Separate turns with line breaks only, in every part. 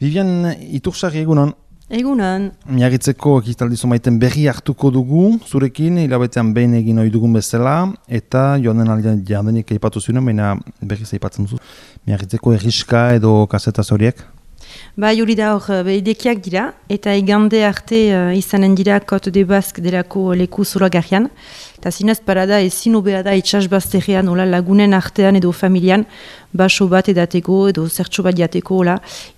Vivian Itursarri egunon.
Egunon.
Miagitzeko ekitaldi zumaiten berri hartuko dugu, zurekin hilabetean behin egin ohi dugun bezala, eta joan den aldean jadenik aipatu zuen, baina berriz aipatzen duzu. Miagitzeko erriska edo kasetaz horiek?
Bai, hori da hor behidekiak dira, eta igande arte izanen dira Côte de Basque delako leku zoragarrian. Eta zinez parada ezin hobea da itxasbazterrean lagunen artean edo familian, baso bat edateko edo zertxo bat jateko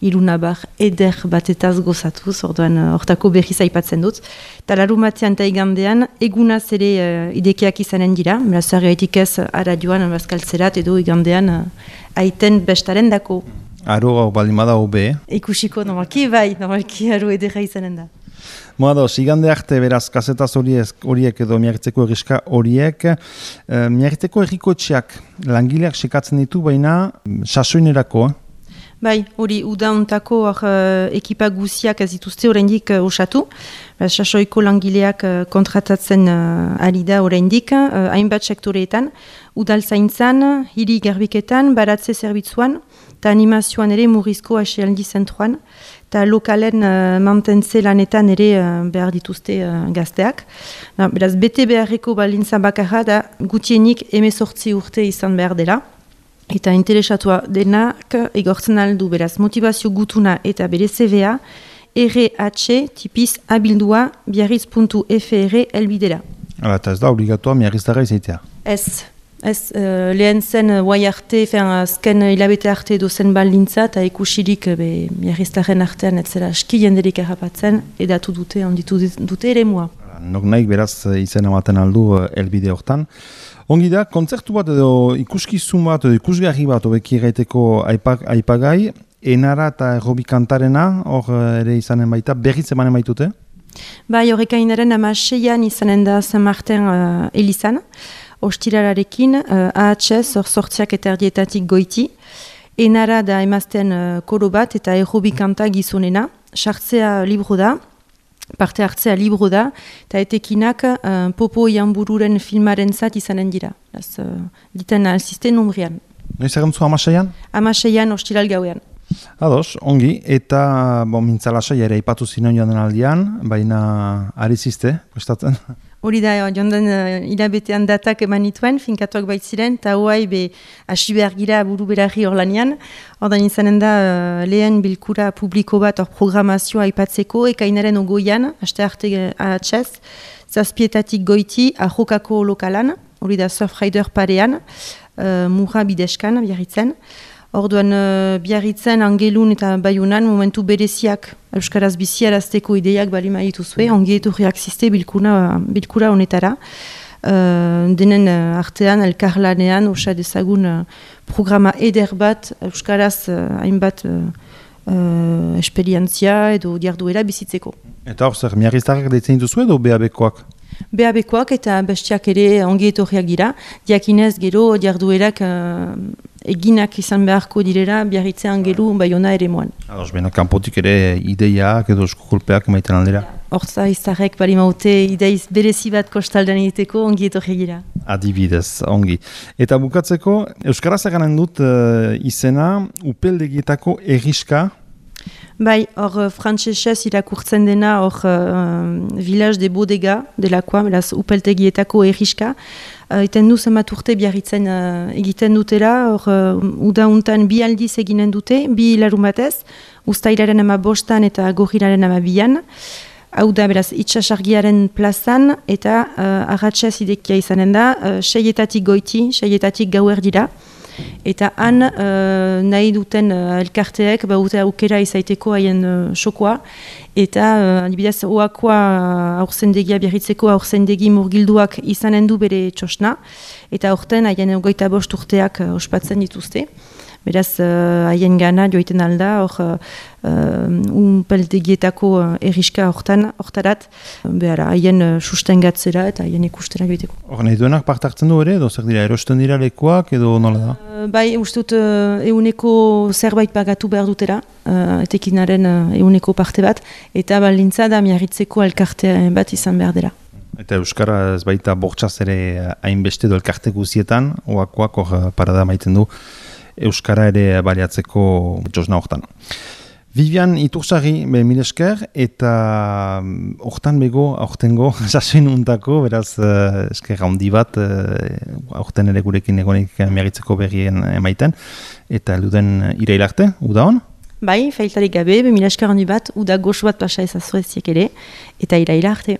ilunabar eder batetaz gozatuz, orduan hortako berriz aipatzen dut. Eta larumatean eta igandean egunaz ere idekiak izanen dira, beraz gaitik ez aradioan bazkaltzerat edo igandean aiten bestaren dako.
Aro baldin bada hobe.
Ikusiko normalki aro edera izanen da.
Moados, igande arte beraz kasetaz horiek edo miagitzeko erriska horiek. Miagitzeko errikotxeak langileak sekatzen ditu, baina sasoinerako.
Bai, hori udauntako ekipa guziak ez dituzte oraindik osatu. Sasoiko langileak kontratatzen ari da oraindik, hainbat sektoreetan, udaltzaintzan, hiri garbiketan, baratze zerbitzuan, eta animazioan ere murrizko asealdi zentruan, eta lokalen mantentze lanetan ere behar dituzte gazteak. Beraz, bete beharreko balintza bakarra da gutienik 18 urte izan behar dela. Eta interesatua denak egortzen aldu, beraz, motivazio gutuna eta bere CVA, RH tipiz abildua biarritz.fr elbidera.
Eta ez da obligatua miarriztara izaitea?
Ez, lehen zen guai arte, azken hilabete arte edo zen baldintza, eta ikusirik miarriztaren artean ez zera aski jenderik errapatzen, edatu dute, onditu dute ere mua.
Nok naik beraz izan ematen aldu elbide hortan. Ongi da, kontzertu bat edo ikuskizun bat edo ikusgarri bat obeki gaiteko aipagai, enara eta errobi kantarena, hor ere izanen baita, berriz emanen baitute? Bai,
horrekainaren 16an izanen da San Martin Elizan, ostiralarekin, AHS, hor sortziak eta erdietatik goiti, enara da emazten koro bat eta errobi kanta gizonena, sartzea libro da, parte hartzea libro da, eta etekinak Popo Ianbururen filmaren zat izanen dira. Diten alzisten nombrian.
Noiz egantzu 16an?
16an ostiral gauean.
Ados, ongi, eta mintzalasai ere aipatu zinen joan den aldian, baina ari ziste, kostatzen?
Hori da, joan den hilabetean datak eman nituen, finkatuak baitziren, eta hoai hasi behar gira buru berarri hor lanian. Ordan izanen da lehen bilkura publiko bat hor programazioa aipatzeko, ekainaren ogoian, aste arte AHS, zazpietatik goiti, ahokako lokalan, hori da Surfrider parean, murra bideskan, biarritzen. Orduan biarritzen, Angelun eta Bayunan momentu bereziak euskaraz biziarazteko ideiak balima dituzue, ongi etorriak ziste bilkura honetara. Denen artean, elkarlanean, osa dezagun programa eder bat euskaraz hainbat esperientzia edo diarduera bizitzeko.
Eta hor zer, miarriztarrak deitzen duzu edo BAB-koak?
BAB-koak eta bestiak ere ongi etorriak dira. Diakinez gero diarduerak eginak izan beharko direla biarritzean gelu Baiona ere moan.
Ados, bena kanpotik ere ideiak edo eskukulpeak maiten aldera?
Hortza izarrek bali maute ideiz berezi bat kostaldean egiteko ongi etorriak gira.
Adibidez, ongi. Eta bukatzeko, euskaraz eganen dut izena upeldegietako erriska.
Bai, hor frantsesez irakurtzen dena hor Village de Bodega delakoa, beraz upeltegietako erriska. Eten du zenbat urte biarritzen egiten dutela, hor udauntan 2 aldiz eginen dute, 2 larumatez, uztailaren 15 eta gorrilaren 12an. Hau da, beraz, itxasargiaren plazan eta arratsez idekia izanen da, 6etatik goiti, 6etatik gauer dira. Eta han nahi duten elkarteek baute aukera izaiteko haien sokoa. Eta adibidez oakoa aurzendegia biarritzeko aurzendegi murgilduak izanen du bere txosna. Eta aurten haien 25 urteak ospatzen dituzte. Beraz, haien gana joiten alda, hor unpeltegietako erriska hortarat, haien sustengatzera eta haien ikustera joiteko.
Hor nahi duenak part hartzen du ere, edo zer dira, erosten dira lekuak edo nola da?
Bai, ustut euneko zerbait pagatu behar dutera, etekinaren euneko parte bat, eta baldintza da miarritzeko elkarte bat izan behar dela.
Eta euskara ez baita bortxaz ere hainbeste do elkarte guzietan, oakoak hor parada maiten du, euskara ere baliatzeko txosna hortan. Vivian Itursarri, mil esker, eta hortan bego, aurtengo, sasoin untako, beraz, esker handi bat, aurten ere gurekin egonik miagitzeko berrien emaiten, eta elduden irailarte, uda hon?
Bai, failtarik gabe, mil esker handi bat, uda goxu bat pasa ezazueziek ere, eta irailarte.